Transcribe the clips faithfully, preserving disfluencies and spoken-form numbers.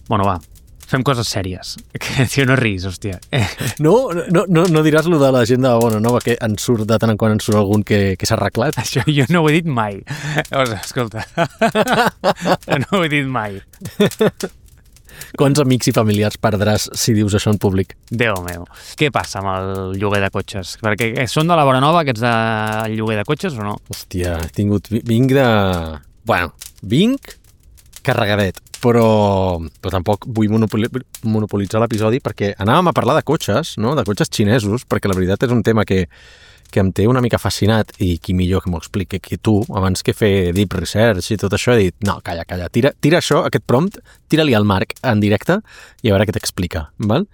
Bueno, va, fem coses sèries. Que, tio, no ris, hòstia. No, no, no, no diràs lo de la gent de Bona Nova, que en surt de tant en quant en surt algun que, que s'ha arreglat? Això jo no ho he dit mai. Llavors, escolta, no ho he dit mai. Quants amics i familiars perdràs si dius això en públic? Déu meu. Què passa amb el lloguer de cotxes? Perquè són de la Bona Nova, aquests de lloguer de cotxes, o no? Hòstia, he tingut... Vinc de... Bueno, vinc carregadet, però, però tampoc vull monopoli monopolitzar l'episodi perquè anàvem a parlar de cotxes, no? De cotxes xinesos, perquè la veritat és un tema que, que em té una mica fascinat i qui millor que m'ho expliqui que tu, abans que fer deep research i tot això, he dit, no, calla, calla, tira, tira això, aquest prompt, tira-li al Marc en directe i a veure què t'explica, val?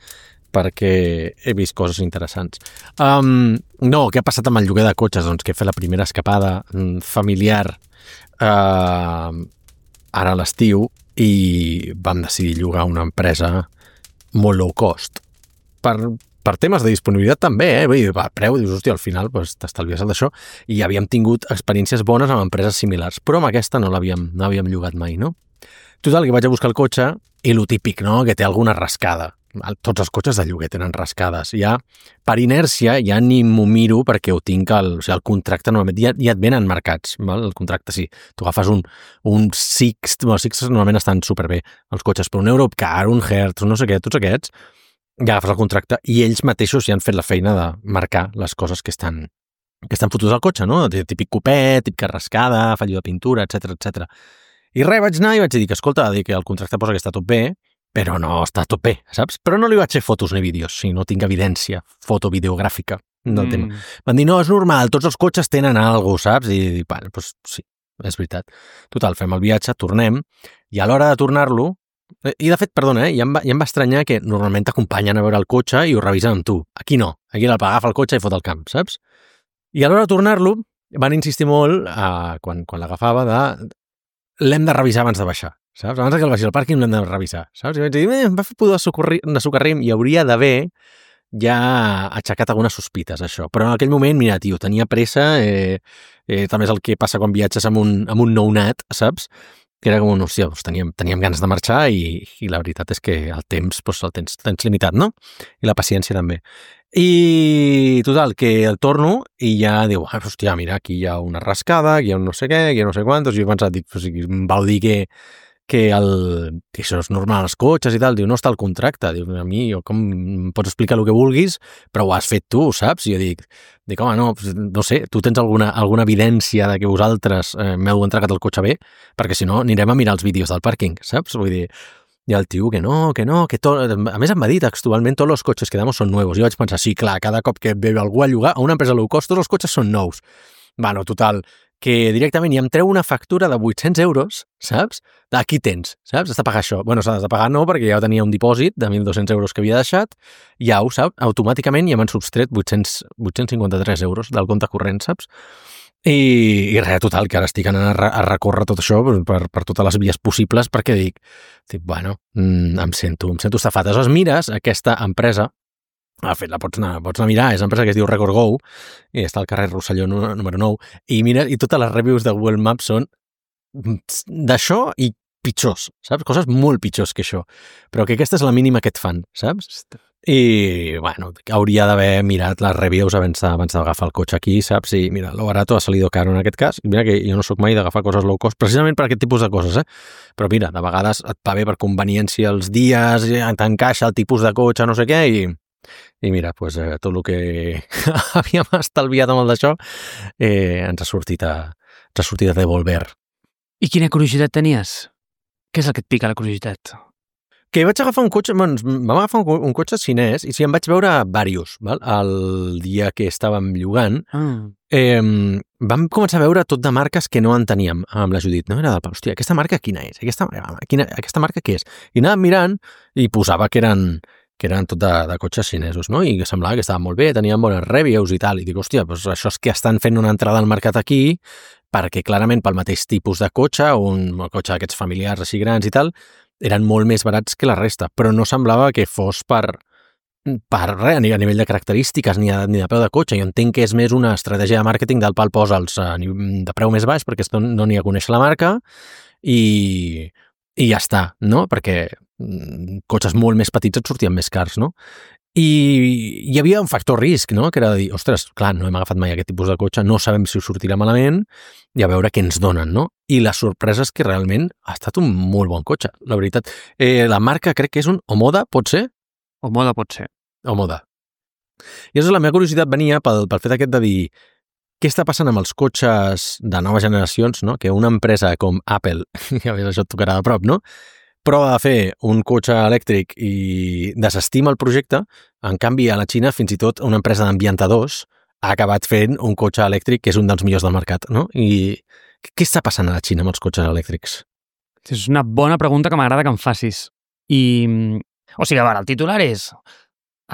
Perquè he vist coses interessants. Um, no, què ha passat amb el lloguer de cotxes? Doncs que he fet la primera escapada familiar uh, ara a l'estiu i vam decidir llogar una empresa molt low cost. Per, per temes de disponibilitat també, eh? Vull dir, va, preu, dius, hòstia, al final pues, t'estalvies el d'això i havíem tingut experiències bones amb empreses similars, però amb aquesta no l'havíem no havíem llogat mai, no? Total, que vaig a buscar el cotxe i lo típic, no?, que té alguna rascada. Tots els cotxes de lloguer tenen rascades. Ja, per inèrcia, ja ni m'ho miro perquè ho tinc al, o sigui, el contracte normalment ja, ja et venen marcats, val? El contracte sí. Tu agafes un, un Sixt, bueno, els Sixts normalment estan superbé, els cotxes, però un Europcar, un Hertz, no sé què, tots aquests, ja agafes el contracte i ells mateixos ja han fet la feina de marcar les coses que estan, que estan fotudes al cotxe, no? Típic copet, típica rascada, fallo de pintura, etcètera, etcètera. I res, vaig anar i vaig dir que, escolta, dir que el contracte posa que està tot bé, però no està tot bé, saps? Però no li vaig fer fotos ni vídeos, si no tinc evidència fotovideogràfica del mm. tema. Van dir, no, és normal, tots els cotxes tenen alguna cosa, saps? I, bueno, doncs sí, és veritat. Total, fem el viatge, tornem, i a l'hora de tornar-lo, i de fet, perdona, eh, ja, em va, ja em va estranyar que normalment t'acompanyen a veure el cotxe i ho revisen amb tu. Aquí no, aquí l'agafa el cotxe i fot el camp, saps? I a l'hora de tornar-lo, van insistir molt, eh, quan, quan l'agafava, de l'hem de revisar abans de baixar. Saps? Abans que el baixi al pàrquing l'hem de revisar, saps? I vaig dir, eh, em va fer pudor de socarrim i hauria d'haver ja aixecat algunes sospites, això. Però en aquell moment, mira, tio, tenia pressa, eh, eh, també és el que passa quan viatges amb un, amb un nounat, saps? Que era com un, hòstia, doncs teníem, teníem ganes de marxar i, i la veritat és que el temps doncs, el tens, tens limitat, no? I la paciència també. I total, que el torno i ja diu, ah, hòstia, mira, aquí hi ha una rascada, aquí hi ha un no sé què, aquí hi ha no sé quantos, i jo he pensat, dic, o sigui, em vau dir que que, el, que això és normal als cotxes i tal, diu, no està al contracte, diu, a mi, jo, com em pots explicar el que vulguis, però ho has fet tu, saps? I jo dic, dic home, no, no sé, tu tens alguna, alguna evidència de que vosaltres eh, m'heu entregat el cotxe bé, perquè si no anirem a mirar els vídeos del pàrquing, saps? Vull dir, i el tio, que no, que no, que tot... A més em va dir textualment, tots els cotxes que damos són nuevos. Jo vaig pensar, sí, clar, cada cop que ve algú a llogar a una empresa low cost, tots els cotxes són nous. Bueno, total, que directament ja em treu una factura de vuit-cents euros, saps? Aquí tens, saps? Has de pagar això. Bueno, s'ha de pagar no, perquè ja tenia un dipòsit de mil dos-cents euros que havia deixat, ja ho saps, automàticament ja m'han substret vuit-cents, vuit-cents cinquanta-tres euros del compte corrent, saps? I, i res, total, que ara estic anant a, a recórrer tot això per, per totes les vies possibles, perquè dic, dic bueno, mm, em sento, em sento estafat. Aleshores mires aquesta empresa, de fet, la pots anar, pots anar a mirar, és una empresa que es diu RecordGo, i està al carrer Rosselló número nou, i mira, i totes les reviews de Google Maps són d'això i pitjors, saps? Coses molt pitjors que això, però que aquesta és la mínima que et fan, saps? I, bueno, hauria d'haver mirat les reviews abans, abans d'agafar el cotxe aquí, saps? I mira, lo barato ha salido caro en aquest cas, i mira que jo no sóc mai d'agafar coses low cost, precisament per aquest tipus de coses, eh? Però mira, de vegades et va bé per conveniència els dies, t'encaixa el tipus de cotxe, no sé què, i I mira, pues, eh, tot el que havíem estalviat amb el d'això eh, ens ha sortit a, ens ha sortit a devolver. I quina curiositat tenies? Què és el que et pica la curiositat? Que vaig agafar un cotxe, bueno, vam agafar un, un cotxe xinès i sí, em vaig veure diversos, val? El dia que estàvem llogant, Ah. eh, vam començar a veure tot de marques que no en teníem amb la Judit, no? Era del, hòstia, aquesta marca quina és? Aquesta, quina, aquesta marca què és? I anàvem mirant i posava que eren que eren tot de, de cotxes xinesos, no? I que semblava que estaven molt bé, tenien bones reviews i tal, i dic, hòstia, doncs això és que estan fent una entrada al mercat aquí, perquè clarament pel mateix tipus de cotxe, un cotxe d'aquests familiars així grans i tal, eren molt més barats que la resta, però no semblava que fos per, per res, ni a nivell de característiques, ni, a, ni de peu de cotxe. Jo entenc que és més una estratègia de màrqueting del pal posa'ls de preu més baix, perquè no n'hi ha a conèixer la marca, i... i ja està, no? Perquè cotxes molt més petits et sortien més cars, no? I hi havia un factor risc, no? Que era de dir, ostres, clar, no hem agafat mai aquest tipus de cotxe, no sabem si us sortirà malament i a veure què ens donen, no? I la sorpresa és que realment ha estat un molt bon cotxe, la veritat. Eh, la marca crec que és un Omoda, pot ser? Omoda pot ser. Omoda. I llavors la meva curiositat venia pel, pel fet aquest de dir què està passant amb els cotxes de noves generacions, no? Que una empresa com Apple, ja veus, això et tocarà de prop, no? Prova de fer un cotxe elèctric i desestima el projecte, en canvi a la Xina fins i tot una empresa d'ambientadors ha acabat fent un cotxe elèctric que és un dels millors del mercat, no? I què està passant a la Xina amb els cotxes elèctrics? És una bona pregunta que m'agrada que em facis. I, o sigui, a veure, el titular és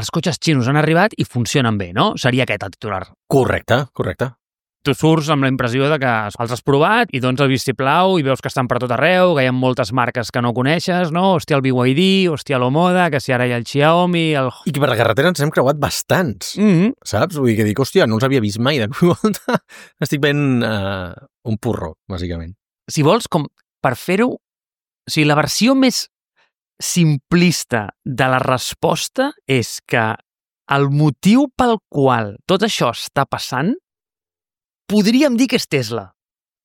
els cotxes xinos han arribat i funcionen bé, no? Seria aquest el titular. Correcte, correcte. Tu surts amb la impressió de que els has provat i dones el vistiplau i veus que estan per tot arreu, que hi ha moltes marques que no coneixes, no? Hòstia, el B Y D, hòstia, l'Omoda, que si ara hi ha el Xiaomi, el... I que per la carretera ens hem creuat bastants, Mm-hmm. saps? Vull dir que dic, hòstia, no els havia vist mai de volta. Estic veient uh, un porró, bàsicament. Si vols, com per fer-ho... O sigui, la versió més simplista de la resposta és que el motiu pel qual tot això està passant podríem dir que és Tesla.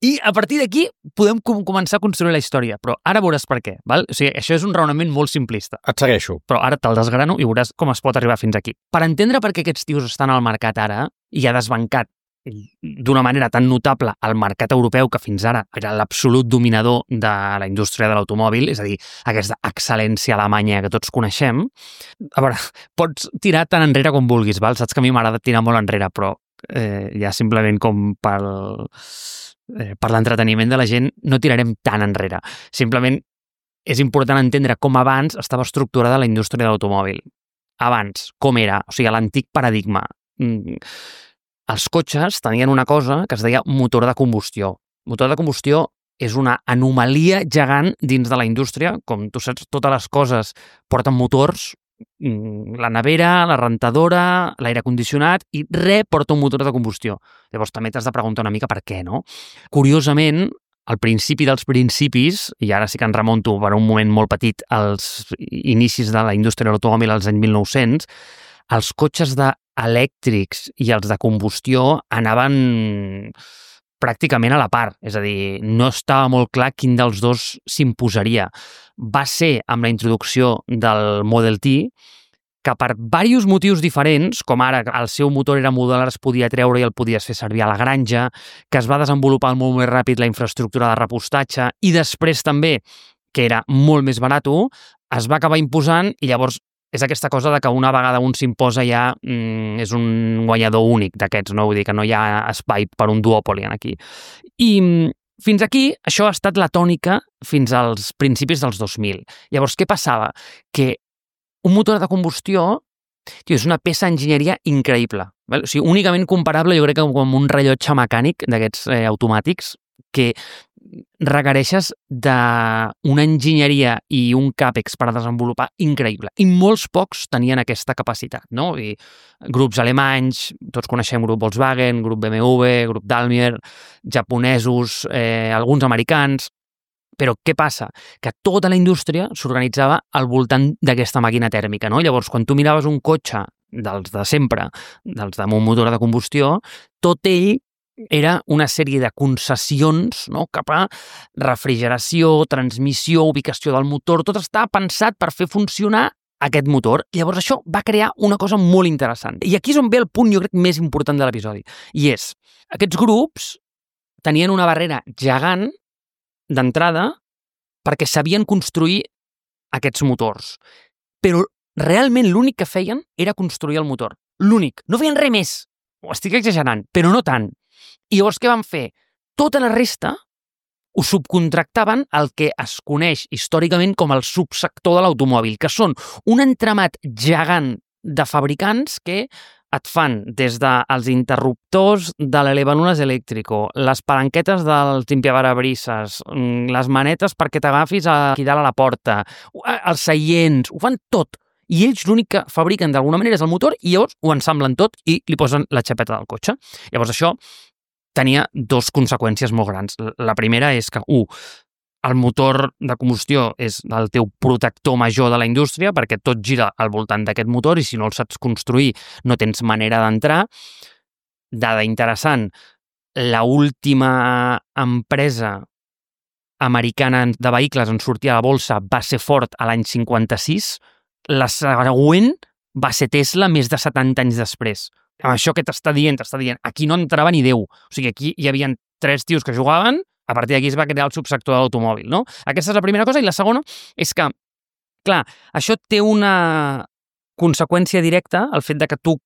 I a partir d'aquí podem com començar a construir la història, però ara veuràs per què. Val? O sigui, això és un raonament molt simplista. Et segueixo. Però ara te'l desgrano i veuràs com es pot arribar fins aquí. Per entendre per què aquests tios estan al mercat ara i ha desbancat d'una manera tan notable el mercat europeu que fins ara era l'absolut dominador de la indústria de l'automòbil, és a dir, aquesta excel·lència alemanya que tots coneixem. A veure, pots tirar tan enrere com vulguis, val? Saps que a mi m'agrada tirar molt enrere, però eh, ja simplement com per, eh, per l'entreteniment de la gent no tirarem tan enrere. Simplement és important entendre com abans estava estructurada la indústria de l'automòbil. Abans, com era? O sigui, l'antic paradigma. Mm. Els cotxes tenien una cosa que es deia motor de combustió. Motor de combustió és una anomalia gegant dins de la indústria. Com tu saps, totes les coses porten motors, la nevera, la rentadora, l'aire condicionat, i res porta un motor de combustió. Llavors també t'has de preguntar una mica per què, no? Curiosament, al principi dels principis, i ara sí que en remonto per un moment molt petit als inicis de la indústria de l'automòbil als anys mil nou-cents, els cotxes de elèctrics i els de combustió anaven pràcticament a la part, és a dir, no estava molt clar quin dels dos s'imposaria. Va ser amb la introducció del Model T que per diversos motius diferents, com ara el seu motor era modular, es podia treure i el podies fer servir a la granja, que es va desenvolupar molt més ràpid la infraestructura de repostatge i després també, que era molt més barat, es va acabar imposant i llavors és aquesta cosa de que una vegada un s'imposa ja mm, és un guanyador únic d'aquests, no? Vull dir que no hi ha espai per un duòpoli aquí. I fins aquí això ha estat la tònica fins als principis dels dos mil. Llavors, què passava? Que un motor de combustió tio, és una peça d'enginyeria increïble. Val? O sigui, únicament comparable, jo crec que amb un rellotge mecànic d'aquests eh, automàtics que requereixes d'una enginyeria i un càpex per desenvolupar increïble. I molts pocs tenien aquesta capacitat, no? I grups alemanys, tots coneixem grup Volkswagen, grup B M W, grup Daimler, japonesos, eh, alguns americans. Però què passa? Que tota la indústria s'organitzava al voltant d'aquesta màquina tèrmica, no? Llavors, quan tu miraves un cotxe dels de sempre, dels de un motor de combustió, tot ell era una sèrie de concessions, no? Cap a refrigeració, transmissió, ubicació del motor, tot estava pensat per fer funcionar aquest motor. Llavors això va crear una cosa molt interessant. I aquí és on ve el punt, jo crec, més important de l'episodi. I és, aquests grups tenien una barrera gegant d'entrada perquè sabien construir aquests motors. Però realment l'únic que feien era construir el motor. L'únic. No feien res més. Ho estic exagerant, però no tant. I llavors què van fer? Tota la resta ho subcontractaven al que es coneix històricament com el subsector de l'automòbil, que són un entramat gegant de fabricants que et fan des dels interruptors de l'elevanules elèctrico, les palanquetes dels limpiaparabrisas, les manetes perquè t'agafis aquí dalt a la porta, els seients, ho fan tot. I ells l'únic que fabriquen d'alguna manera és el motor i llavors ho ensamblen tot i li posen la xapeta del cotxe. Llavors això tenia dos conseqüències molt grans. La primera és que, u, el motor de combustió és el teu protector major de la indústria perquè tot gira al voltant d'aquest motor i si no el saps construir no tens manera d'entrar. Dada interessant, la última empresa americana de vehicles en sortir a la bolsa va ser Ford a l'any cinquanta-sis, la següent va ser Tesla més de setanta anys després. Amb això que t'està dient, t'està dient, aquí no entrava ni Déu. O sigui, aquí hi havia tres tios que jugaven, a partir d'aquí es va crear el subsector de l'automòbil, no? Aquesta és la primera cosa. I la segona és que, clar, això té una conseqüència directa, el fet de que tu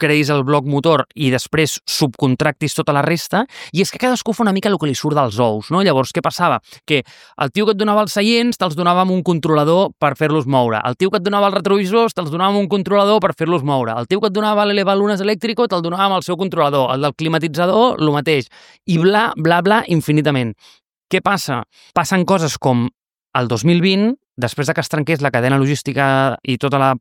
creïs el bloc motor i després subcontractis tota la resta, i és que cadascú fa una mica el que li surt dels ous, no? Llavors, què passava? Que el tio que et donava els seients te'ls donava amb un controlador per fer-los moure. El tio que et donava els retrovisors te'ls donava amb un controlador per fer-los moure. El tio que et donava l'elevalunes elèctrico te'l donava amb el seu controlador. El del climatitzador, el mateix. I bla, bla, bla, infinitament. Què passa? Passen coses com el dos mil vint, després de que es trenqués la cadena logística i tota la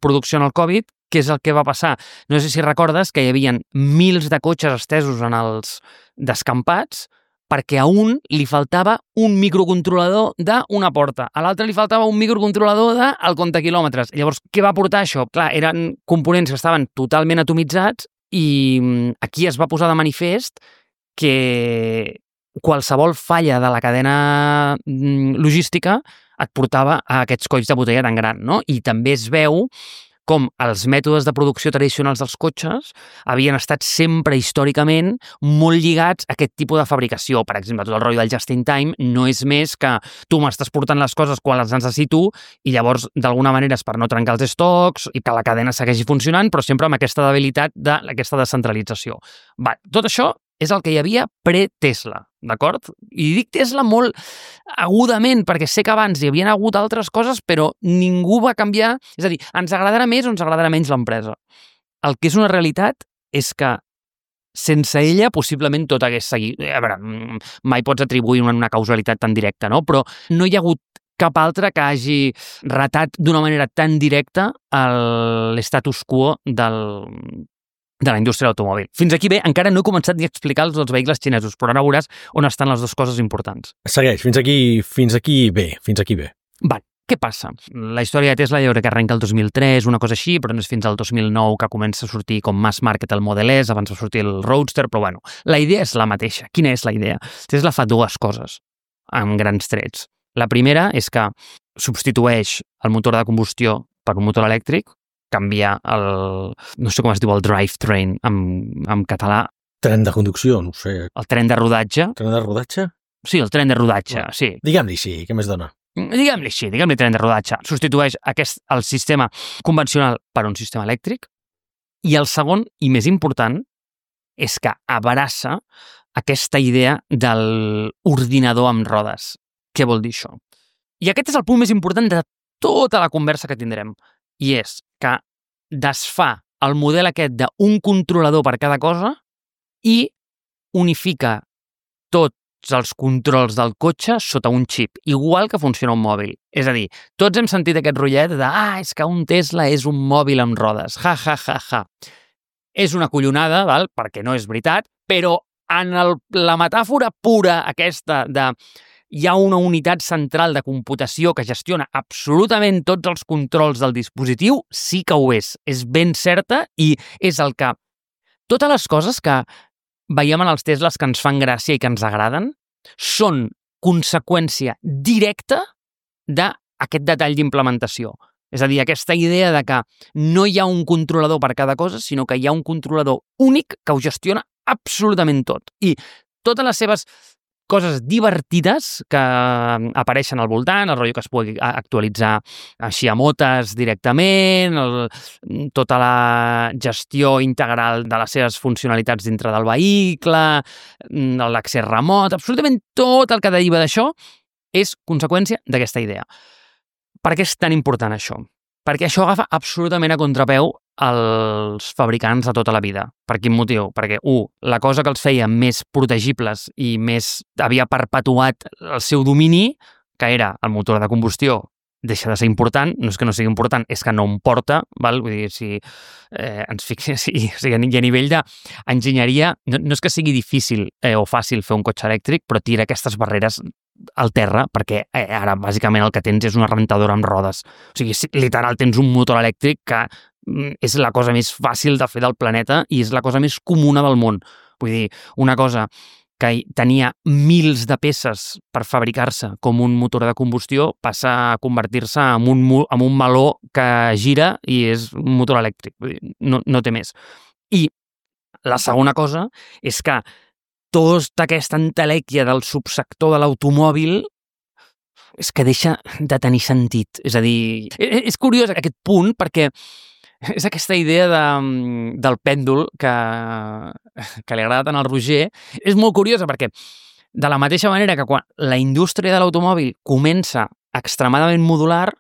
producció en el Covid, què és el que va passar? No sé si recordes que hi havia mils de cotxes estesos en els descampats perquè a un li faltava un microcontrolador d'una porta, a l'altre li faltava un microcontrolador del comptaquilòmetres. Llavors, què va portar això? Clar, eren components que estaven totalment atomitzats i aquí es va posar de manifest que qualsevol falla de la cadena logística et portava a aquests colls de botella tan gran, no? I també es veu com els mètodes de producció tradicionals dels cotxes havien estat sempre històricament molt lligats a aquest tipus de fabricació. Per exemple, tot el rotllo del just-in-time no és més que tu m'estàs portant les coses quan les necessito i llavors, d'alguna manera, és per no trencar els estocs i que la cadena segueixi funcionant, però sempre amb aquesta debilitat d'aquesta descentralització. Va, tot això és el que hi havia pre-Tesla, d'acord? I dic Tesla molt agudament, perquè sé que abans hi havien hagut altres coses, però ningú va canviar. És a dir, ens agradarà més o ens agradarà menys l'empresa. El que és una realitat és que sense ella possiblement tot hagués seguit. A veure, mai pots atribuir una causalitat tan directa, no? Però no hi ha hagut cap altre que hagi ratat d'una manera tan directa l'estatus quo del de la indústria de l'automòbil. Fins aquí bé, encara no he començat ni a explicar els dels vehicles xinesos, però ara veuràs on estan les dues coses importants. Segueix, fins aquí, fins aquí bé, fins aquí bé. Va, què passa? La història de Tesla jo crec que arrenca el dos mil tres, una cosa així, però no és fins al dos mil nou que comença a sortir com mass market el Model S, abans va sortir el Roadster, però bueno, la idea és la mateixa. Quina és la idea? Tesla fa dues coses, amb grans trets. La primera és que substitueix el motor de combustió per un motor elèctric, canviar el, no sé com es diu, el drivetrain en, en català. Tren de conducció, no ho sé. El tren de rodatge. Tren de rodatge? Sí, el tren de rodatge, no. sí. Diguem-li sí, què més dona? Diguem-li així, diguem-li tren de rodatge. Substitueix aquest, el sistema convencional per un sistema elèctric. I el segon, i més important, és que abraça aquesta idea de l'ordinador amb rodes. Què vol dir això? I aquest és el punt més important de tota la conversa que tindrem. I és que desfà el model aquest d'un controlador per cada cosa i unifica tots els controls del cotxe sota un xip, igual que funciona un mòbil. És a dir, tots hem sentit aquest rotllet de ah, és que un Tesla és un mòbil amb rodes, ja, ja, ja, ja. És una collonada, val? Perquè no és veritat, però en el, la metàfora pura aquesta de hi ha una unitat central de computació que gestiona absolutament tots els controls del dispositiu, sí que ho és. És ben certa i és el que... Totes les coses que veiem en els Teslas que ens fan gràcia i que ens agraden són conseqüència directa d'aquest detall d'implementació. És a dir, aquesta idea de que no hi ha un controlador per cada cosa, sinó que hi ha un controlador únic que ho gestiona absolutament tot. I totes les seves coses divertides que apareixen al voltant, el rotllo que es pugui actualitzar així a motes directament, el, tota la gestió integral de les seves funcionalitats dintre del vehicle, l'accés remot, absolutament tot el que deriva d'això és conseqüència d'aquesta idea. Per què és tan important això? Perquè això agafa absolutament a contrapeu els fabricants de tota la vida. Per quin motiu? Perquè, u, la cosa que els feia més protegibles i més havia perpetuat el seu domini, que era el motor de combustió, deixa de ser important, no és que no sigui important, és que no em porta, val? Vull dir, si eh, ens fixem, si, o sigui, a nivell d'enginyeria, no, no és que sigui difícil eh, o fàcil fer un cotxe elèctric, però tira aquestes barreres al terra, perquè eh, ara bàsicament el que tens és una rentadora amb rodes. O sigui, literal, tens un motor elèctric que és la cosa més fàcil de fer del planeta i és la cosa més comuna del món. Vull dir, una cosa que tenia mils de peces per fabricar-se com un motor de combustió passa a convertir-se en un, en un meló que gira i és un motor elèctric. Vull dir, no, no té més. I la segona cosa és que tota aquesta entelèquia del subsector de l'automòbil és que deixa de tenir sentit. És a dir, és curiós aquest punt perquè és aquesta idea de, del pèndol que, que li agrada tant al Roger. És molt curiosa perquè de la mateixa manera que quan la indústria de l'automòbil comença extremadament modular,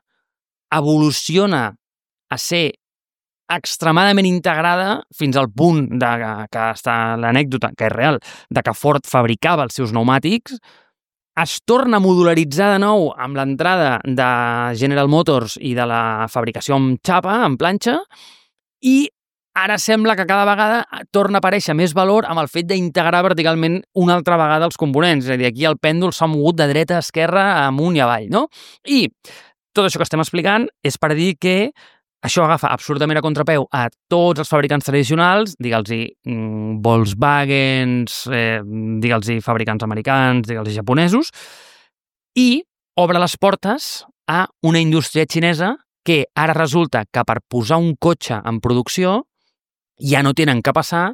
evoluciona a ser extremadament integrada fins al punt de que està l'anècdota, que és real, de que Ford fabricava els seus pneumàtics, es torna a modularitzar de nou amb l'entrada de General Motors i de la fabricació amb xapa, amb planxa, i ara sembla que cada vegada torna a aparèixer més valor amb el fet d'integrar verticalment una altra vegada els components. És a dir, aquí el pèndol s'ha mogut de dreta a esquerra, amunt i avall, no? I tot això que estem explicant és per dir que això agafa absolutament a contrapeu a tots els fabricants tradicionals, digue'ls-hi mm, Volkswagens, eh, digue'ls-hi fabricants americans, digue'ls-hi japonesos, i obre les portes a una indústria xinesa que ara resulta que per posar un cotxe en producció ja no tenen que passar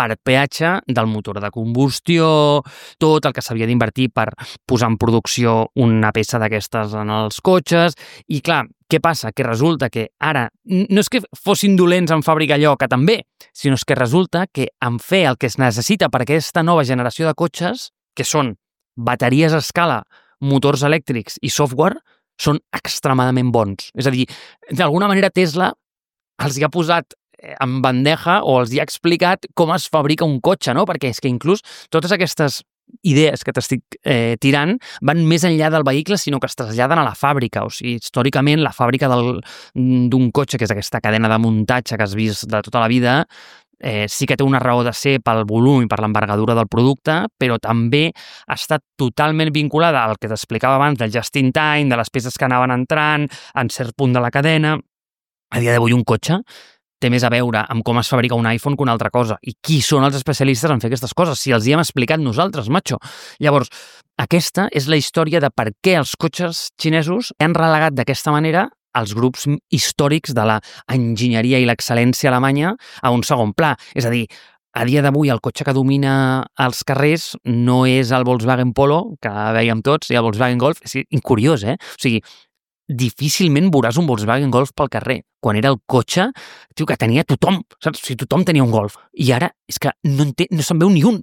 per peatge del motor de combustió, tot el que s'havia d'invertir per posar en producció una peça d'aquestes en els cotxes. I clar, què passa? Que resulta que ara no és que fossin dolents en fabricar allò, que també, sinó és que resulta que en fer el que es necessita per aquesta nova generació de cotxes, que són bateries a escala, motors elèctrics i software, són extremadament bons. És a dir, d'alguna manera Tesla els hi ha posat en bandeja o els hi ha explicat com es fabrica un cotxe, no? Perquè és que inclús totes aquestes idees que t'estic eh, tirant van més enllà del vehicle, sinó que es traslladen a la fàbrica. O sigui, històricament, la fàbrica d'un cotxe, que és aquesta cadena de muntatge que has vist de tota la vida, eh, sí que té una raó de ser pel volum i per l'envergadura del producte, però també ha estat totalment vinculada al que t'explicava abans del just in time, de les peces que anaven entrant, en cert punt de la cadena. A dia d'avui un cotxe té més a veure amb com es fabrica un iPhone que una altra cosa. I qui són els especialistes en fer aquestes coses? Si els hi hem explicat nosaltres, macho. Llavors, aquesta és la història de per què els cotxes xinesos han relegat d'aquesta manera els grups històrics de la enginyeria i l'excel·lència alemanya a un segon pla. És a dir, a dia d'avui el cotxe que domina els carrers no és el Volkswagen Polo, que veiem tots, i el Volkswagen Golf. És curiós, eh? O sigui, difícilment veuràs un Volkswagen Golf pel carrer. Quan era el cotxe, tio, que tenia tothom, saps? O sigui, tothom tenia un Golf. I ara és que no, en té, no se'n veu ni un.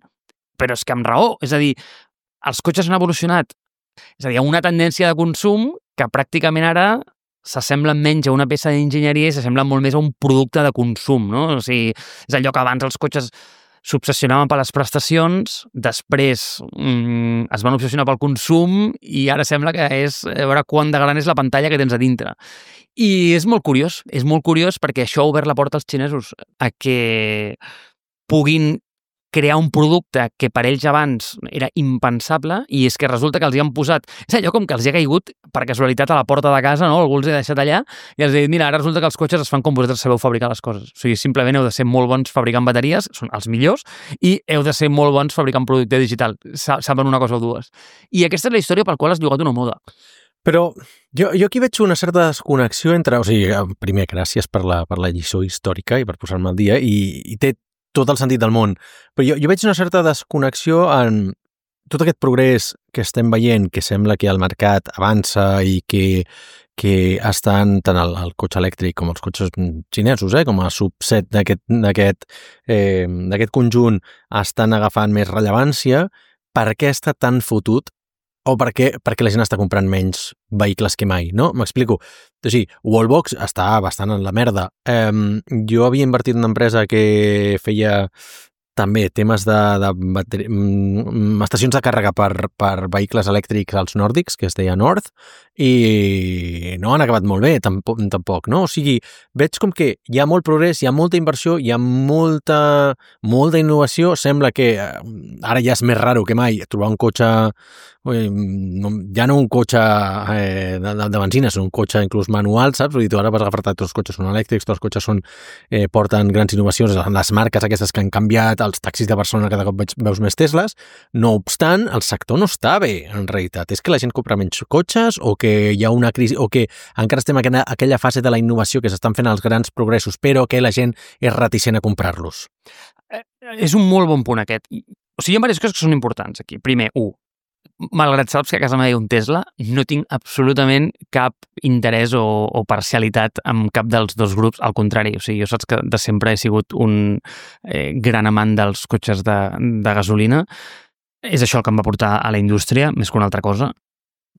Però és que amb raó. És a dir, els cotxes han evolucionat. És a dir, hi ha una tendència de consum que pràcticament ara s'assemblen menys a una peça d'enginyeria i s'assemblen molt més a un producte de consum, no? O sigui, és allò que abans els cotxes s'obsessionaven per les prestacions, després mm, es van obsessionar pel consum i ara sembla que és a veure quant de gran és la pantalla que tens a dintre. I és molt curiós, és molt curiós perquè això ha obert la porta als xinesos a que puguin crear un producte que per ells abans era impensable i és que resulta que els hi han posat, és allò com que els hi ha caigut per casualitat a la porta de casa, no? Algú els ha deixat allà i els ha dit, mira, ara resulta que els cotxes es fan com vosaltres sabeu fabricar les coses. O sigui, simplement heu de ser molt bons fabricant bateries, són els millors, i heu de ser molt bons fabricant producte digital. Saben una cosa o dues. I aquesta és la història pel qual has llogat una moda. Però jo, jo aquí veig una certa desconnexió entre... O sigui, primer, gràcies per la, per la lliçó històrica i per posar-me al dia, i, i té tot el sentit del món. Però jo, jo veig una certa desconnexió en tot aquest progrés que estem veient, que sembla que el mercat avança i que, que estan tant el, el cotxe elèctric com els cotxes xinesos, eh, com a subset d'aquest d'aquest eh, d'aquest conjunt estan agafant més rellevància. Per què està tan fotut? O perquè, perquè la gent està comprant menys vehicles que mai, no? M'explico. O sigui, Wallbox està bastant en la merda. Um, jo havia invertit en una empresa que feia també temes de, de bateri... estacions de càrrega per, per vehicles elèctrics als nòrdics, que es deia North, i no han acabat molt bé, tampoc, tampoc, no? O sigui, veig com que hi ha molt progrés, hi ha molta inversió, hi ha molta, molta innovació, sembla que ara ja és més raro que mai trobar un cotxe, ja no un cotxe eh, de, de benzina, sinó un cotxe inclús manual, saps? Vull dir, tu ara vas agafar tots els cotxes són elèctrics, tots els cotxes són, eh, porten grans innovacions, les marques aquestes que han canviat, els taxis de Barcelona cada cop veig, veus més Tesles, no obstant, el sector no està bé, en realitat. És que la gent compra menys cotxes o que hi ha una crisi, o que encara estem en aquella fase de la innovació que s'estan fent els grans progressos, però que la gent és reticent a comprar-los. Eh, és un molt bon punt aquest. O sigui, hi ha diverses coses que són importants aquí. Primer, u, malgrat saps que a casa meva hi ha un Tesla, no tinc absolutament cap interès o, o parcialitat amb cap dels dos grups, al contrari. O sigui, jo saps que de sempre he sigut un eh, gran amant dels cotxes de, de gasolina. És això el que em va portar a la indústria, més que una altra cosa,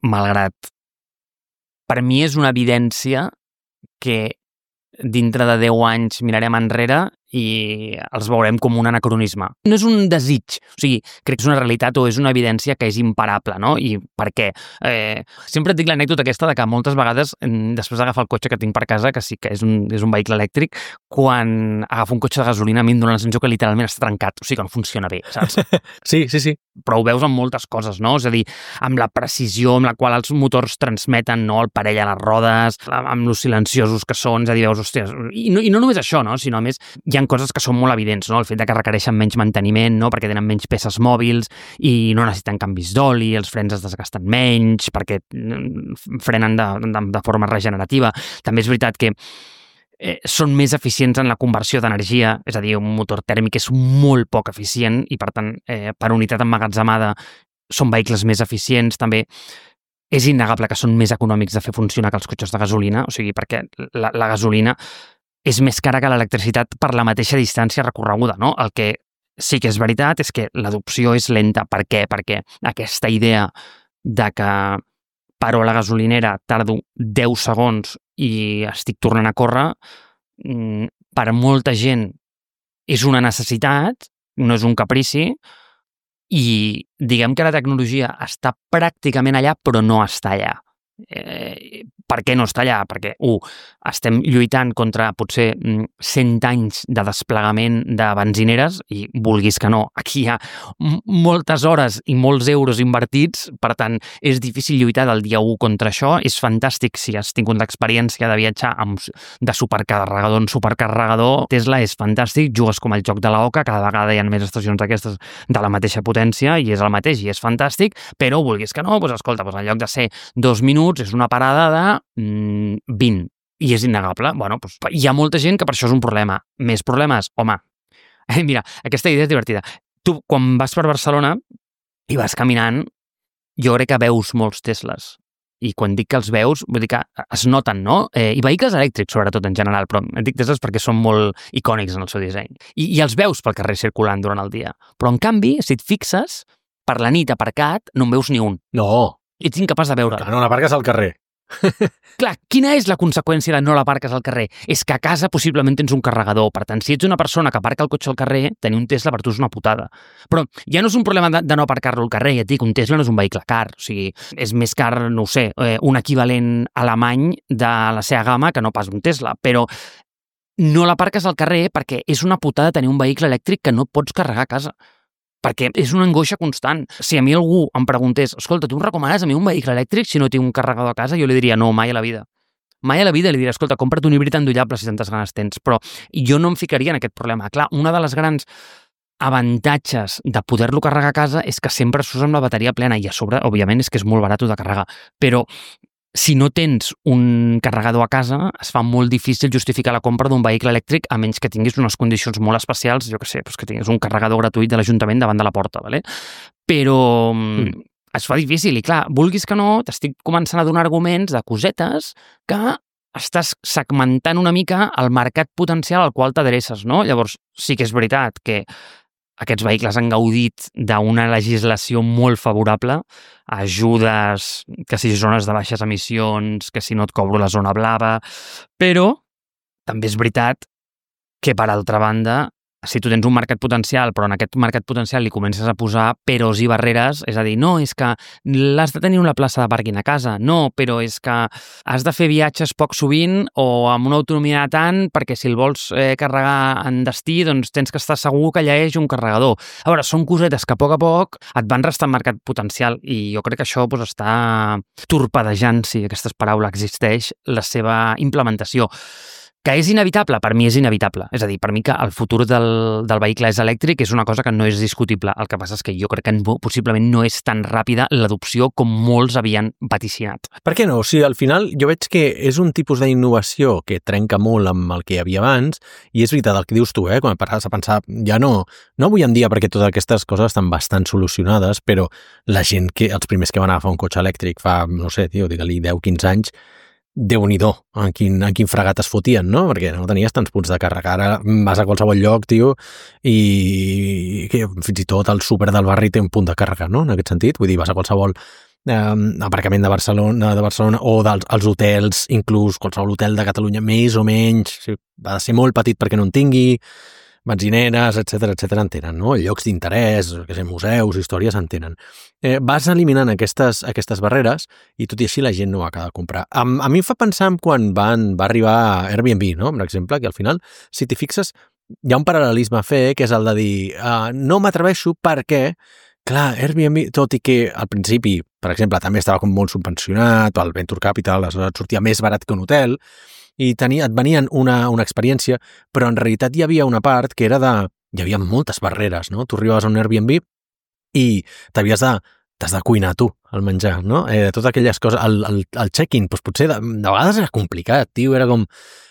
malgrat per mi és una evidència que dintre de deu anys mirarem enrere i els veurem com un anacronisme. No és un desig, o sigui, crec que és una realitat o és una evidència que és imparable, no? I per què? Eh, sempre et dic l'anècdota aquesta de que moltes vegades, després d'agafar el cotxe que tinc per casa, que sí que és un, és un vehicle elèctric, quan agafo un cotxe de gasolina a mi em dóna la sensació que literalment està trencat, o sigui que no funciona bé, saps? Sí, sí, sí. Però ho veus amb moltes coses, no? És a dir, amb la precisió amb la qual els motors transmeten, no?, el parell a les rodes, amb los silenciosos que són, és a dir, veus, hòstia, i no, i no només això, no?, sinó a més hi ha coses que són molt evidents, no? El fet de que requereixen menys manteniment, no?, perquè tenen menys peces mòbils i no necessiten canvis d'oli, els frens es desgasten menys perquè frenen de, de, de forma regenerativa. També és veritat que eh, són més eficients en la conversió d'energia, és a dir, un motor tèrmic és molt poc eficient i, per tant, eh, per unitat emmagatzemada són vehicles més eficients. També és innegable que són més econòmics de fer funcionar que els cotxes de gasolina, o sigui, perquè la, la gasolina és més cara que l'electricitat per la mateixa distància recorreguda, no? El que sí que és veritat és que l'adopció és lenta. Per què? Perquè aquesta idea de que paro a la gasolinera, tardo deu segons i estic tornant a córrer, per molta gent és una necessitat, no és un caprici, i diguem que la tecnologia està pràcticament allà, però no està allà. Eh, per què no està allà? Perquè, u, estem lluitant contra potser cent anys de desplegament de benzineres i vulguis que no, aquí hi ha moltes hores i molts euros invertits, per tant, és difícil lluitar del dia u contra això. És fantàstic si has tingut l'experiència de viatjar amb, de supercarregador en supercarregador. Tesla és fantàstic, jugues com el joc de la oca, cada vegada hi ha més estacions d'aquestes de la mateixa potència i és el mateix i és fantàstic, però vulguis que no, doncs escolta, doncs en lloc de ser dos minuts és una parada de mm, vint, i és innegable. Bueno, doncs, hi ha molta gent que per això és un problema. Més problemes? Home, eh, mira, aquesta idea és divertida. Tu, quan vas per Barcelona i vas caminant, jo crec que veus molts Tesles. I quan dic que els veus, vull dir que es noten, no? Eh, I vehicles elèctrics, sobretot, en general, però dic Tesles perquè són molt icònics en el seu disseny. I, i els veus pel carrer circulant durant el dia. Però, en canvi, si et fixes, per la nit aparcat, no en veus ni un. No. Ets incapaç de veure. Clar, no l'aparques al carrer. Clar, quina és la conseqüència de no l'aparques al carrer? És que a casa possiblement tens un carregador. Per tant, si ets una persona que aparca el cotxe al carrer, tenir un Tesla per tu és una putada. Però ja no és un problema de, de no aparcar-lo al carrer. Ja et dic, un Tesla no és un vehicle car. O sigui, és més car, no ho sé, eh, un equivalent alemany de la seva gamma que no pas un Tesla. Però no l'aparques al carrer perquè és una putada tenir un vehicle elèctric que no pots carregar a casa. Perquè és una angoixa constant. Si a mi algú em preguntés, escolta, tu em recomanes a mi un vehicle elèctric si no tinc un carregador a casa? Jo li diria, no, mai a la vida. Mai a la vida li diria, escolta, compra't un híbrid endollable si tantes ganes tens. Però jo no em ficaria en aquest problema. Clar, una de les grans avantatges de poder-lo carregar a casa és que sempre surts amb la bateria plena i a sobre, òbviament, és que és molt barat de carregar. Però si no tens un carregador a casa, es fa molt difícil justificar la compra d'un vehicle elèctric a menys que tinguis unes condicions molt especials, jo què sé, doncs que tinguis un carregador gratuït de l'Ajuntament davant de la porta, ¿vale? Però mm. es fa difícil i clar, vulguis que no, t'estic començant a donar arguments de cosetes que estàs segmentant una mica el mercat potencial al qual t'adreces, no? Llavors, sí que és veritat que aquests vehicles han gaudit d'una legislació molt favorable, ajudes, que si zones de baixes emissions, que si no et cobro la zona blava, però també és veritat que, per altra banda, si tu tens un mercat potencial, però en aquest mercat potencial li comences a posar peros i barreres, és a dir, no, és que l'has de tenir una plaça de pàrquing a casa, no, però és que has de fer viatges poc sovint o amb una autonomia de tant, perquè si el vols eh, carregar en destí, doncs tens que estar segur que allà hi hagi un carregador. A veure, són cosetes que a poc a poc et van restant mercat potencial i jo crec que això doncs, està torpedejant, si aquesta paraula existeix, la seva implementació. Que és inevitable? Per mi és inevitable. És a dir, per mi que el futur del, del vehicle és elèctric és una cosa que no és discutible. El que passa és que jo crec que no, possiblement no és tan ràpida l'adopció com molts havien vaticinat. Per què no? O sigui, al final jo veig que és un tipus d'innovació que trenca molt amb el que hi havia abans i és veritat el que dius tu, eh? Quan pares a pensar, ja no, no avui en dia perquè totes aquestes coses estan bastant solucionades, però la gent, que els primers que van agafar un cotxe elèctric fa, no sé, tio, digue-li deu quinze anys, Déu-n'hi-do, en quin, en quin fregat es fotien, no? Perquè no tenies tants punts de càrrega. Ara vas a qualsevol lloc, tio, i que fins i tot el súper del barri té un punt de càrrega, no? En aquest sentit, vull dir, vas a qualsevol eh, aparcament de Barcelona, de Barcelona o dels als hotels, inclús qualsevol hotel de Catalunya, més o menys, ha de ser molt petit perquè no en tingui, benzineres, etcètera, etcètera, en tenen, no? Llocs d'interès, que sé, museus, històries, en tenen. Eh, vas eliminant aquestes, aquestes barreres i tot i així la gent no ho acaba de comprar. A, a mi em fa pensar en quan van, va arribar Airbnb, no? Per exemple, que al final, si t'hi fixes, hi ha un paral·lelisme a fer, que és el de dir uh, no m'atreveixo perquè, clar, Airbnb, tot i que al principi, per exemple, també estava com molt subvencionat, el Venture Capital, aleshores sortia més barat que un hotel, i tenia, et venien una, una experiència, però en realitat hi havia una part que era de... Hi havia moltes barreres, no? Tu arribaves a un Airbnb i t'havies de... T'has de cuinar tu, el menjar, no? Eh, totes aquelles coses... El, el, el check-in, doncs potser de, de vegades era complicat, tio, era com...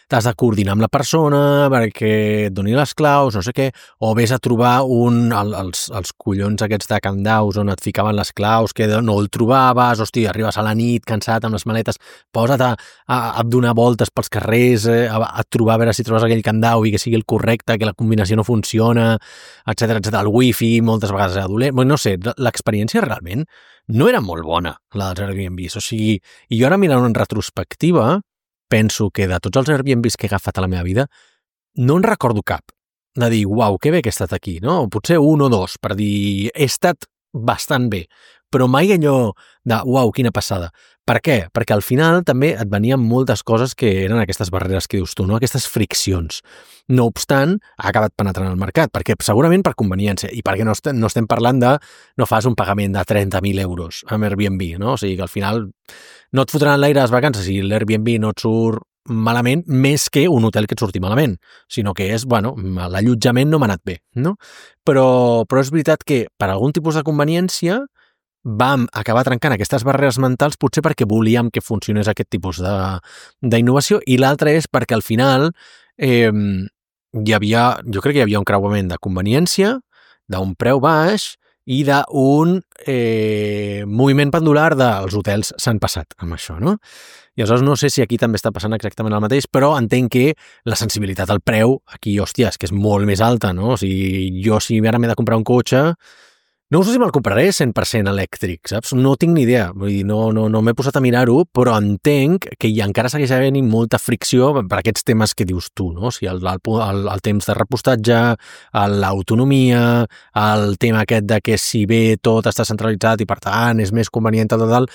T'has de coordinar amb la persona perquè et doni les claus, no sé què, o vés a trobar un, el, els, els collons aquests de candaus on et ficaven les claus, que no el trobaves, hosti, arribes a la nit cansat amb les maletes, posa't a, a, a donar voltes pels carrers, eh, a, a trobar a veure si trobes aquell candau i que sigui el correcte, que la combinació no funciona, etcètera, etcètera. El wifi moltes vegades era dolent, no sé, l'experiència realment no era molt bona, la dels Airbnbs, o sigui, i jo ara mirant en retrospectiva, penso que de tots els Airbnbs que he agafat a la meva vida, no en recordo cap de dir, uau, que bé que he estat aquí, no? O potser un o dos, per dir, he estat bastant bé, però mai allò de, uau, quina passada. Per què? Perquè al final també et venien moltes coses que eren aquestes barreres que dius tu, no? Aquestes friccions. No obstant, ha acabat penetrant al mercat, perquè segurament per conveniència, i perquè no estem, no estem parlant de no fas un pagament de trenta mil euros amb Airbnb, no? O sigui que al final no et fotran l'aire a les vacances si l'Airbnb no et surt malament, més que un hotel que et surti malament, sinó que és, bueno, l'allotjament no m'ha anat bé, no? Però, però és veritat que per algun tipus de conveniència vam acabar trencant aquestes barreres mentals potser perquè volíem que funcionés aquest tipus d'innovació i l'altre és perquè al final eh, hi havia, jo crec que hi havia un creuament de conveniència, d'un preu baix i d'un eh, moviment pendular dels hotels s'han passat amb això, no? I aleshores no sé si aquí també està passant exactament el mateix, però entenc que la sensibilitat al preu aquí, hòstia, és que és molt més alta, no? O sigui, jo si ara m'he de comprar un cotxe, no sé si me'l compraré cent per cent elèctric, saps? No tinc ni idea, vull dir, no, no, no m'he posat a mirar-ho, però entenc que hi encara segueix havent molta fricció per aquests temes que dius tu, no? O sigui, el, el, el temps de repostatge, l'autonomia, el tema aquest de que si bé tot està centralitzat i per tant és més convenient tal, tal, tal,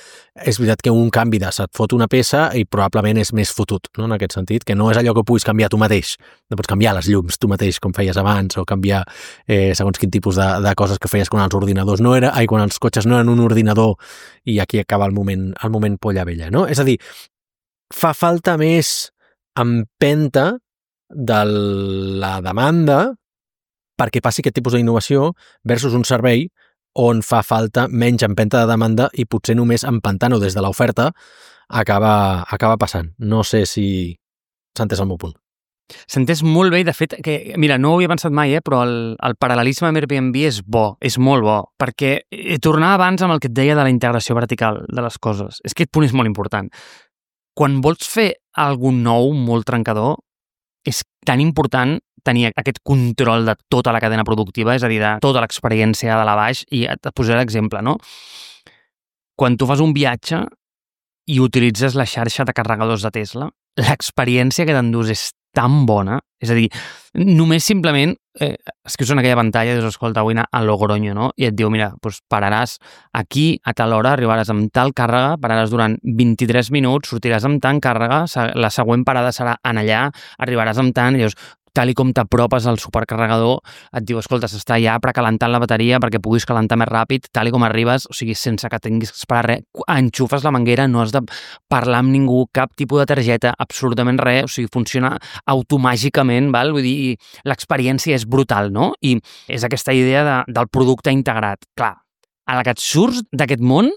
és veritat que un canvi de se't fot una peça i probablement és més fotut, no? En aquest sentit, que no és allò que puguis canviar tu mateix, no pots canviar les llums tu mateix com feies abans o canviar eh, segons quin tipus de, de coses que feies quan els ordinadors no era, ai, quan els cotxes no eren un ordinador i aquí acaba el moment, el moment polla vella, no? És a dir, fa falta més empenta de la demanda perquè passi aquest tipus d'innovació versus un servei on fa falta menys empenta de demanda i potser només empentant-ho des de l'oferta acaba, acaba passant. No sé si s'ha entès el meu punt. S'entès molt bé i, de fet, que, mira, no ho havia pensat mai, eh, però el, el paral·lelisme amb Airbnb és bo, és molt bo, perquè eh, tornava abans amb el que et deia de la integració vertical de les coses. És que aquest punt és molt important. Quan vols fer algun nou, molt trencador, és tan important tenir aquest control de tota la cadena productiva, és a dir, de tota l'experiència de la baix, i et posaré l'exemple, no? Quan tu fas un viatge i utilitzes la xarxa de carregadors de Tesla, l'experiència que t'endús és tan bona, és a dir, només simplement, eh, és que és en aquella pantalla, dius, escolta, vull anar a Logroño, no? I et diu, mira, doncs pararàs aquí a tal hora, arribaràs amb tal càrrega, pararàs durant vint-i-tres minuts, sortiràs amb tant càrrega, la següent parada serà en allà, arribaràs amb tant, i dius, tal i com t'apropes al supercarregador, et diu, escolta, s'està ja precalentant la bateria perquè puguis calentar més ràpid, tal i com arribes, o sigui, sense que tinguis que esperar res, enxufes la manguera, no has de parlar amb ningú, cap tipus de targeta, absolutament res, o sigui, funciona automàgicament, val? Vull dir, l'experiència és brutal, no? I és aquesta idea de, del producte integrat. Clar, a la que et surts d'aquest món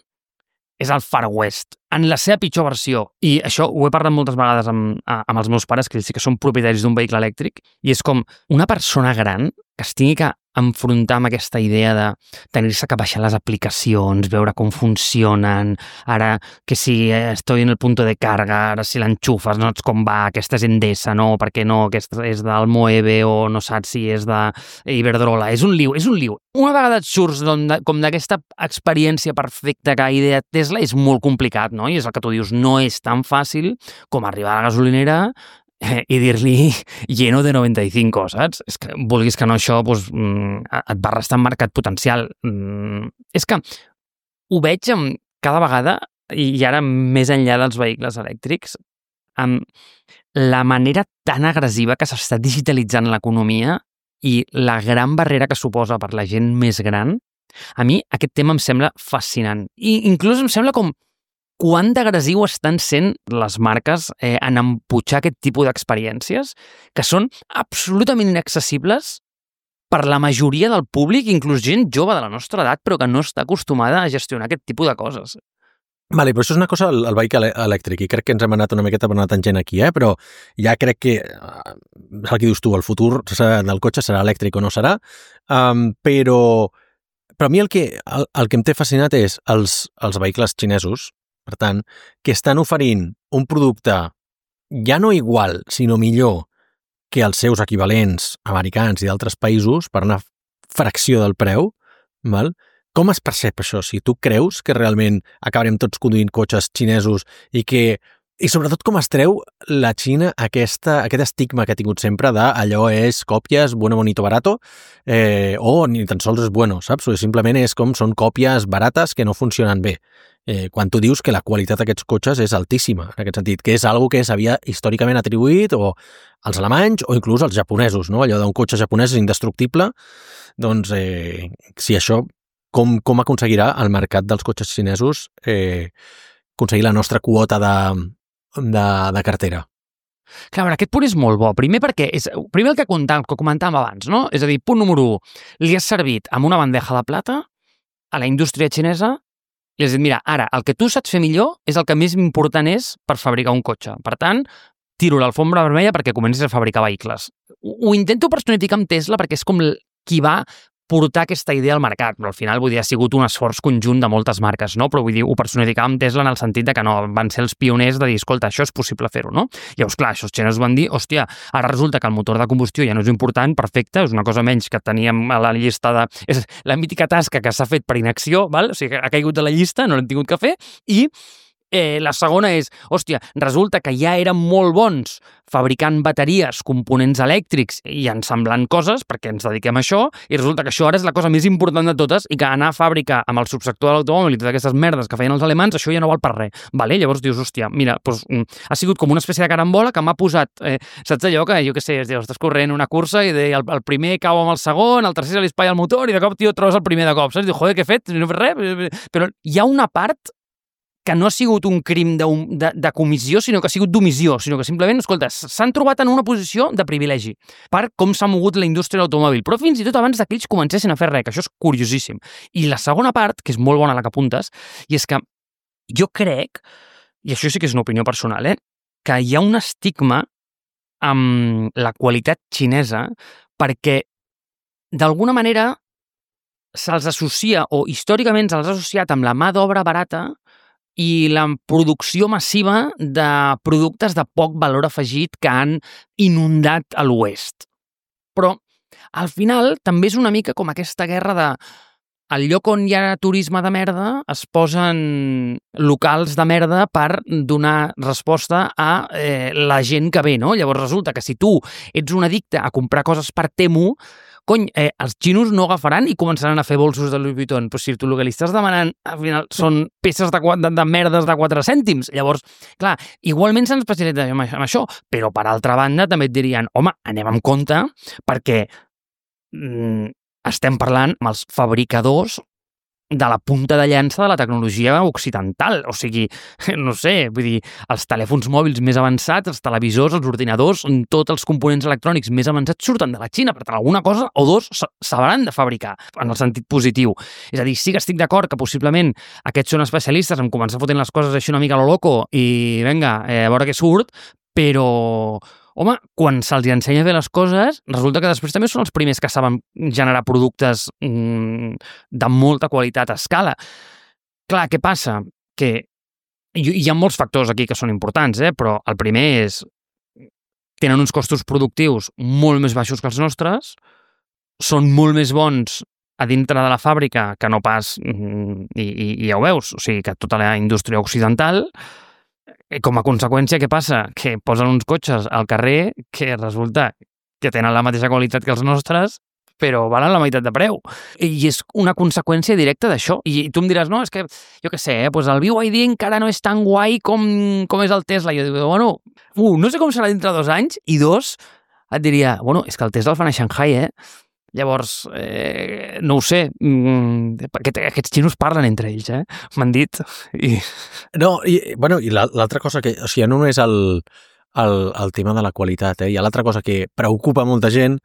és el Far West, en la seva pitjor versió. I això ho he parlat moltes vegades amb, amb els meus pares, que ells sí que són propietaris d'un vehicle elèctric, i és com una persona gran que es tingui que enfrontar amb aquesta idea de tenir-se que baixar les aplicacions, veure com funcionen, ara que si estoy en el punto de carga, ara si l'enxufes, no saps com va, aquesta és Endesa, no, perquè no, aquesta és del Moeve o no saps si és de Iberdrola, és un liu, és un liu. Una vegada et surts com d'aquesta experiència perfecta que idea Tesla és molt complicat, no? I és el que tu dius, no és tan fàcil com arribar a la gasolinera i dir-li lleno de noventa-cinc, saps? És que, vulguis que no, això doncs, et va restar en mercat potencial. És que ho veig amb, cada vegada, i ara més enllà dels vehicles elèctrics, amb la manera tan agressiva que s'està digitalitzant l'economia i la gran barrera que suposa per la gent més gran. A mi aquest tema em sembla fascinant. I inclús em sembla com quant d'agressiu estan sent les marques eh, en emputxar aquest tipus d'experiències que són absolutament inaccessibles per la majoria del públic, inclús gent jove de la nostra edat, però que no està acostumada a gestionar aquest tipus de coses. Vale, però això és una cosa al vehicle elèctric, i crec que ens hem anat una miqueta per una tangent aquí, eh? Però ja crec que, és el que dius tu, el futur del cotxe serà elèctric o no serà, um, però, però a mi el que, el, el que em té fascinat és els, els vehicles xinesos, per tant, que estan oferint un producte ja no igual, sinó millor que els seus equivalents americans i d'altres països per una fracció del preu, val? Com es percep això? Si tu creus que realment acabarem tots conduint cotxes xinesos i que... I sobretot com es treu la Xina aquesta, aquest estigma que ha tingut sempre de allò és còpies, bueno, bonito, barato, eh, o ni tan sols és bueno, saps? O simplement és com són còpies barates que no funcionen bé. Eh, quan tu dius que la qualitat d'aquests cotxes és altíssima, en aquest sentit, que és algo que s'havia històricament atribuït o als alemanys o inclús als japonesos, no? Allò d'un cotxe japonès és indestructible, doncs eh, si això, com, com aconseguirà el mercat dels cotxes xinesos eh, aconseguir la nostra quota de, de, de cartera? Clar, aquest punt és molt bo. Primer perquè, és, primer el que comentàvem, que comentàvem abans, no? És a dir, punt número u, li has servit amb una bandeja de plata a la indústria xinesa i has dit, mira, ara, el que tu saps fer millor és el que més important és per fabricar un cotxe. Per tant, tiro l'alfombra vermella perquè comencis a fabricar vehicles. Ho, ho intento personificar amb Tesla perquè és com qui va portar aquesta idea al mercat, però al final vull dir, ha sigut un esforç conjunt de moltes marques, no? Però vull dir, ho personificava amb Tesla en el sentit de que no, van ser els pioners de dir, escolta, això és possible fer-ho, no? Llavors, clar, això els xinesos van dir, hòstia, ara resulta que el motor de combustió ja no és important, perfecte, és una cosa menys que teníem a la llista de... És la mítica tasca que s'ha fet per inacció, val? O sigui, ha caigut de la llista, no l'hem tingut que fer, i Eh, la segona és, hòstia, resulta que ja eren molt bons fabricant bateries, components elèctrics i ensamblant coses, perquè ens dediquem a això, i resulta que això ara és la cosa més important de totes i que anar a fàbrica amb el subsector de l'automòbil i totes aquestes merdes que feien els alemans, això ja no val per res. Vale? Llavors dius, hòstia, mira, doncs, ha sigut com una espècie de carambola que m'ha posat, eh, saps allò que, jo què sé, dius, estàs corrent una cursa i de, el, el primer cau amb el segon, el tercer se li espatlla el motor i de cop, tio, trobes el primer de cop, saps? Dius, joder, què he fet? No he fet res. Però hi ha una part que no ha sigut un crim de, de, de comissió, sinó que ha sigut d'omissió, sinó que simplement, escolta, s'han trobat en una posició de privilegi per com s'ha mogut la indústria de l'automòbil, però fins i tot abans que ells comencessin a fer res, que això és curiosíssim. I la segona part, que és molt bona la que apuntes, i és que jo crec, i això sí que és una opinió personal, eh, que hi ha un estigma amb la qualitat xinesa perquè, d'alguna manera, se'ls associa, o històricament se'ls ha associat amb la mà d'obra barata i la producció massiva de productes de poc valor afegit que han inundat a l'oest. Però, al final, també és una mica com aquesta guerra de al lloc on hi ha turisme de merda es posen locals de merda per donar resposta a eh, la gent que ve, no? Llavors resulta que si tu ets un addicte a comprar coses per Temu, cony, eh, els xinos no agafaran i començaran a fer bolsos de Louis Vuitton. Però si tu el que li estàs demanant, al final, són peces de, de, de merdes de quatre cèntims. Llavors, clar, igualment s'han especialitzat en això, però per altra banda també et dirien, home, anem amb compte, perquè mm, estem parlant amb els fabricadors de la punta de llança de la tecnologia occidental. O sigui, no sé, vull dir, els telèfons mòbils més avançats, els televisors, els ordinadors, tots els components electrònics més avançats surten de la Xina. Per tant, alguna cosa o dos s'hauran de fabricar, en el sentit positiu. És a dir, sí que estic d'acord que possiblement aquests són especialistes en començar fotent les coses així una mica a lo loco i, vinga, eh, a veure què surt, però... Home, quan se'ls ensenya a fer les coses, resulta que després també són els primers que saben generar productes mmm, de molta qualitat a escala. Clar, què passa? Que hi ha molts factors aquí que són importants, eh? Però el primer és tenen uns costos productius molt més baixos que els nostres, són molt més bons a dintre de la fàbrica que no pas, i, i, i ja ho veus, o sigui, que tota la indústria occidental. Com a conseqüència, què passa? Que posen uns cotxes al carrer que resulta que tenen la mateixa qualitat que els nostres, però valen la meitat de preu. I és una conseqüència directa d'això. I tu em diràs, no, és que, jo què sé, eh, doncs el B Y D encara no és tan guai com, com és el Tesla. I jo dic, bueno, uh, no sé com serà dintre de dos anys, i dos, et diria, bueno, és que el Tesla el fan a Shanghai, eh? Llavors, eh, no ho sé, mm, perquè aquests xinos parlen entre ells, eh? M'han dit. I... No, i, bueno, i l'altra cosa que... O sigui, no només el, el, el tema de la qualitat, eh? Hi ha l'altra cosa que preocupa molta gent,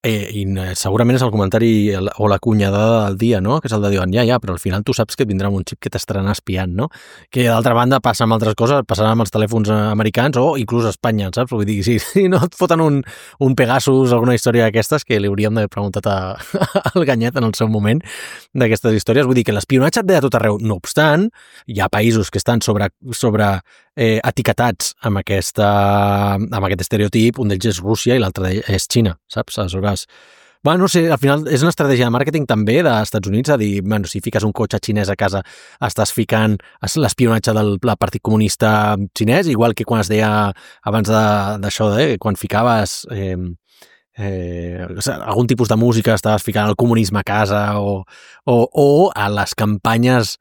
eh, i segurament és el comentari o la cunyadada del dia, no? Que és el de dir, ja, ja, però al final tu saps que et vindrà amb un xip que t'estaran espiant, no? Que d'altra banda passa amb altres coses, passarà amb els telèfons americans o inclús a Espanya, saps? Vull dir, si, si no et foten un, un Pegasus o alguna història d'aquestes, que li hauríem d'haver preguntat a, al Ganyet en el seu moment d'aquestes històries, vull dir que l'espionatge et ve a tot arreu. No obstant, hi ha països que estan sobre, sobre eh, etiquetats amb, aquesta, amb aquest estereotip, un d'ells és Rússia i l'altre és Xina, saps? Aleshores, bueno, no sé, al final és una estratègia de màrqueting també dels Estats Units, a dir, bueno, si fiques un cotxe xinès a casa estàs ficant l'espionatge del Partit Comunista xinès, igual que quan es deia abans d'això, de, quan ficaves eh, eh, algun tipus de música estaves ficant el comunisme a casa o, o, o a les campanyes.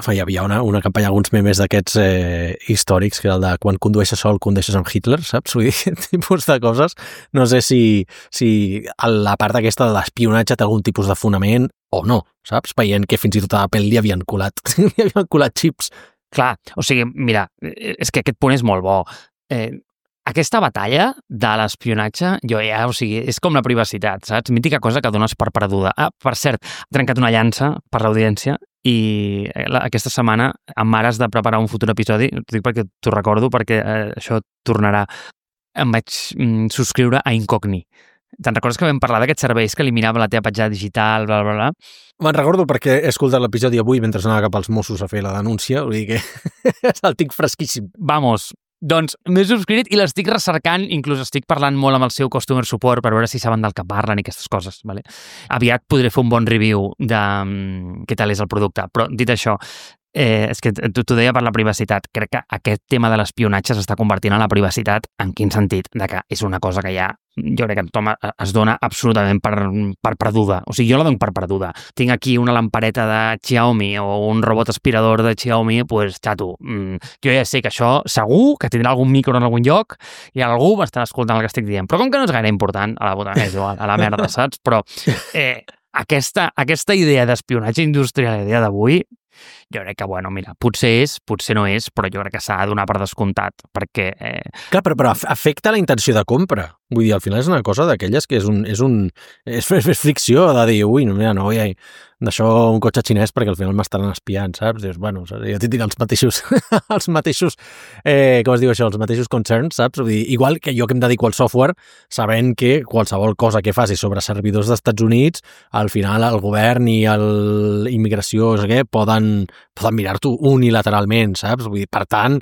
Hi havia una, una campanya, alguns memes d'aquests eh, històrics, que era el de quan condueixes sol, condueixes amb Hitler, saps? Vull dir, aquest tipus de coses. No sé si, si la part aquesta de l'espionatge té algun tipus de fonament o no, saps? Veient que fins i tot a Apple li havien colat, li havien colat xips. Clar, o sigui, mira, és que aquest punt és molt bo. Eh, aquesta batalla de l'espionatge, jo ja, o sigui, és com la privacitat, saps? Mítica cosa que dones per perduda. Ah, per cert, he trencat una llança per l'audiència i aquesta setmana amb Mare has de preparar un futur episodi, t'ho dic perquè t'ho recordo, perquè eh, això tornarà. Em vaig mm, subscriure a Incogni. Te'n recordes que vam parlar d'aquests serveis que eliminava la teva petjada digital, bla, bla, bla? Me'n recordo perquè he escoltat l'episodi avui mentre anava cap als Mossos a fer la denúncia, vull dir que el tinc fresquíssim. Vamos, doncs m'he subscrit i l'estic recercant, inclús estic parlant molt amb el seu customer support per veure si saben del que parlen i aquestes coses. Vale? Aviat podré fer un bon review de um, què tal és el producte, però dit això, eh, és que t'ho deia per la privacitat. Crec que aquest tema de l'espionatge s'està convertint en la privacitat. En quin sentit? De que és una cosa que ja, jo crec que tothom es dona absolutament per, per perduda. O sigui, jo la dono per perduda. Tinc aquí una lampareta de Xiaomi o un robot aspirador de Xiaomi, doncs, pues, xato, mm, jo ja sé que això segur que tindrà algun micro en algun lloc i algú m'estarà escoltant el que estic dient. Però com que no és gaire important, a la puta, és igual, a la merda, saps? Però eh, aquesta, aquesta idea d'espionatge industrial a dia d'avui, jo crec que, bueno, mira, potser és, potser no és, però jo crec que s'ha de donar per descomptat, perquè... Eh... Clar, però, però afecta la intenció de compra. Vull dir, al final és una cosa d'aquelles que és un... És, un, és, és fricció de dir, ui, no, mira, no vull d'això un cotxe xinès perquè al final m'estaran espiant, saps? Dius, bueno, jo tinc els mateixos, els mateixos, eh, com es diu això, els mateixos concerns, saps? Vull dir, igual que jo que em dedico al software, sabent que qualsevol cosa que faci sobre servidors dels Estats Units, al final el govern i l'immigració, no sé què, poden, poden mirar-t'ho unilateralment, saps? Vull dir, per tant,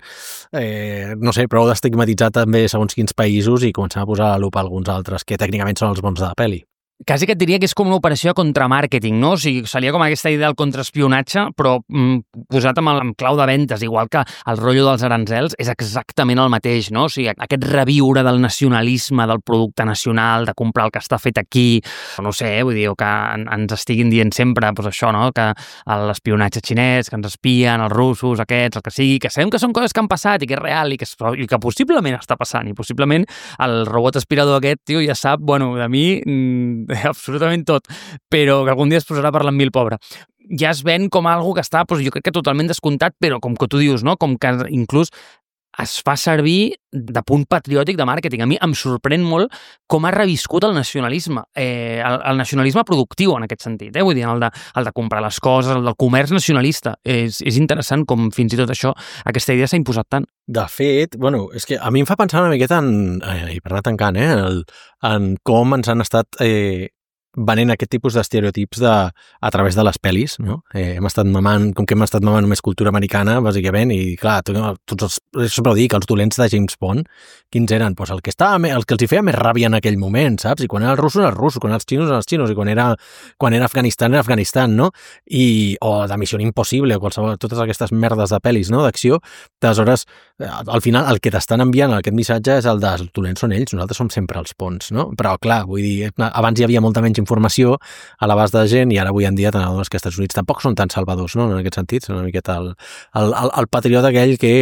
eh, no sé, prou d'estigmatitzar també segons quins països i començar a posar a la lupa alguns altres que tècnicament són els bons de la pel·li. quasi que et diria que és com una operació de contramàrqueting, no? O sigui, seria com aquesta idea del contraespionatge, però mm, posat amb, el, amb clau de ventes, igual que el rotllo dels aranzels, és exactament el mateix, no? O sigui, aquest reviure del nacionalisme, del producte nacional, de comprar el que està fet aquí, no sé, eh? Vull dir, que ens estiguin dient sempre, doncs això, no? Que l'espionatge xinès, que ens espien, els russos, aquests, el que sigui, que sabem que són coses que han passat i que és real i que, i que possiblement està passant, i possiblement el robot aspirador aquest, tio, ja sap, bueno, de mi absolutament tot, però que algun dia es posarà a parlar amb mi el pobre. Ja es ven com algo que està, doncs, jo crec que totalment descomptat, però com que tu dius, no? Com que inclús es fa servir de punt patriòtic de màrqueting. A mi em sorprèn molt com ha reviscut el nacionalisme, eh, el, el nacionalisme productiu en aquest sentit, eh? Vull dir, el de, el de comprar les coses, el del comerç nacionalista. És, és interessant com fins i tot això, aquesta idea s'ha imposat tant. De fet, bueno, és que a mi em fa pensar una miqueta en, eh, i per anar tancant, eh, en, el, en com ens han estat eh, venent aquest tipus d'estereotips de, a través de les pel·lis, no? Eh, hem estat mamant, com que hem estat mamant només cultura americana, bàsicament, i clar, tots els, sempre ho dic, els dolents de James Bond, quins eren? Pues el que estava, el que els hi feia més ràbia en aquell moment, saps? I quan era els russos, eren els russos, quan eren els xinos, eren els xinos, i quan era, quan era Afganistan, era Afganistan, no? I, o de Missió Impossible, o qualsevol, totes aquestes merdes de pel·lis, no? D'acció, d'aleshores, al final, el que t'estan enviant aquest missatge és el de els dolents són ells, nosaltres som sempre els ponts, no? Però, clar, vull dir, abans hi havia molta menys informació a l'abast de gent i ara avui en dia tant els que als Estats Units tampoc són tan salvadors, no? En aquest sentit, són una miqueta el, el, el, el patriota aquell que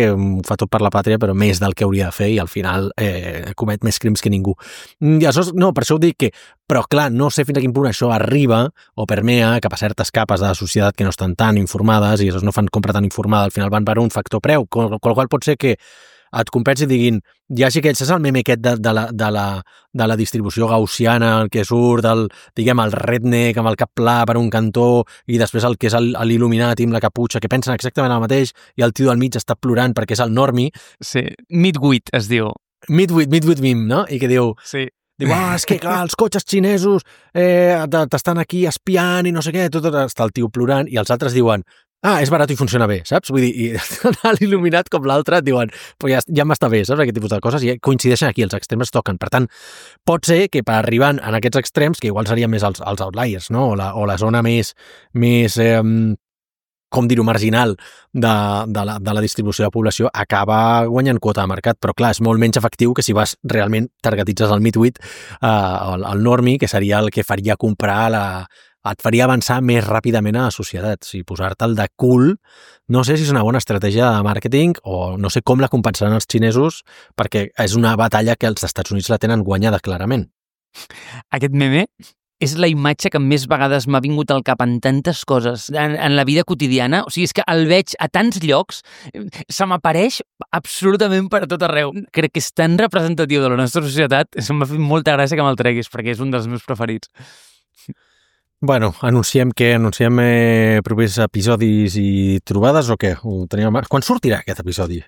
fa tot per la pàtria però més del que hauria de fer i al final eh, comet més crims que ningú. I aleshores, no, per això ho dic que però clar, no sé fins a quin punt això arriba o permea cap a certes capes de la societat que no estan tan informades i aleshores no fan compra tan informada, al final van per un factor preu, qual, qual pot ser que et compensi i diguin, ja sí que és el meme aquest de, de, la, de, la, de la distribució gaussiana, el que surt, el, diguem, el redneck amb el cap pla per un cantó i després el que és l'il·luminat amb la caputxa, que pensen exactament el mateix i el tio del mig està plorant perquè és el normi. Sí, midwit es diu. Midwit, midwit meme, no? I que diu... Sí. Diu, ah, és que clar, els cotxes xinesos eh, t'estan aquí espiant i no sé què, tot, tot està el tio plorant i els altres diuen, ah, és barat i funciona bé, saps? Vull dir, i l'il·luminat com l'altre et diuen, pues ja, ja m'està bé, saps? Aquest tipus de coses i coincideixen aquí, els extrems toquen. Per tant, pot ser que per arribar en aquests extrems, que igual serien més els, els outliers, no? O la, o la zona més, més eh, com dir-ho, marginal de, de, la, de la distribució de la població, acaba guanyant quota de mercat, però clar, és molt menys efectiu que si vas realment targetitzes el midwit, eh, el, el normi, que seria el que faria comprar la... et faria avançar més ràpidament a la societat. Si posar-te'l de cool, no sé si és una bona estratègia de màrqueting o no sé com la compensaran els xinesos perquè és una batalla que els Estats Units la tenen guanyada clarament. Aquest meme és la imatge que més vegades m'ha vingut al cap en tantes coses, en, en la vida quotidiana. O sigui, és que el veig a tants llocs, se m'apareix absolutament per tot arreu. Crec que és tan representatiu de la nostra societat, m'ha fet molta gràcia que me'l treguis, perquè és un dels meus preferits. Bueno, anunciem que anunciem eh, propers episodis i trobades o què? Ho tenim... Quan sortirà aquest episodi?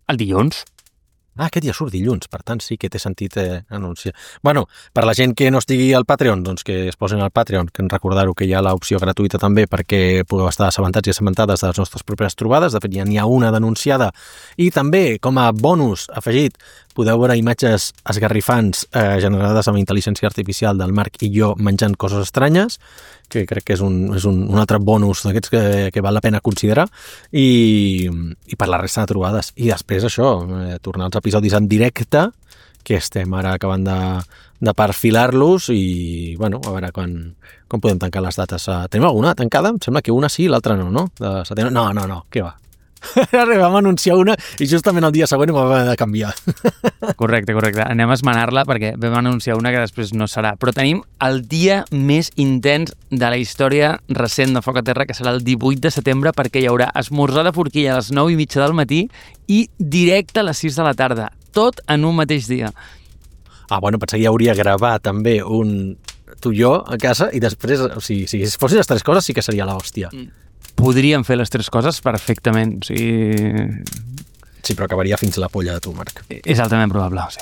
El dilluns. Ah, aquest dia surt dilluns, per tant sí que té sentit eh, anunciar. Bueno, per la gent que no estigui al Patreon, doncs que es posin al Patreon, que en recordar-ho que hi ha l'opció gratuïta també perquè podeu estar assabentats i assabentades de les nostres properes trobades, de fet ja n'hi ha una denunciada, i també com a bonus afegit podeu veure imatges esgarrifants eh, generades amb intel·ligència artificial del Marc i jo menjant coses estranyes, que crec que és un, és un, un altre bonus d'aquests que, que val la pena considerar, i, i per la resta de trobades. I després això, eh, tornar als episodis en directe, que estem ara acabant de, de perfilar-los i, bueno, a veure quan, quan podem tancar les dates. Tenim alguna tancada? Em sembla que una sí, l'altra no, no? De setembre? No, no, no, què va? Vam anunciar una i justament el dia següent ho vam haver de canviar. Correcte, correcte. Anem a esmenar-la perquè vam anunciar una que després no serà. Però tenim el dia més intens de la història recent de Foc a Terra, que serà el divuit de setembre, perquè hi haurà esmorzar de forquilla a les nou i mitja del matí i directe a les sis de la tarda. Tot en un mateix dia. Ah, bueno, pensava que hi hauria gravat també un tu i jo a casa i després, o sigui, si fossin les tres coses sí que seria l'hòstia. Mm. Podríem fer les tres coses perfectament. O sigui... Sí, però acabaria fins la polla de tu, Marc. És altament probable, sí.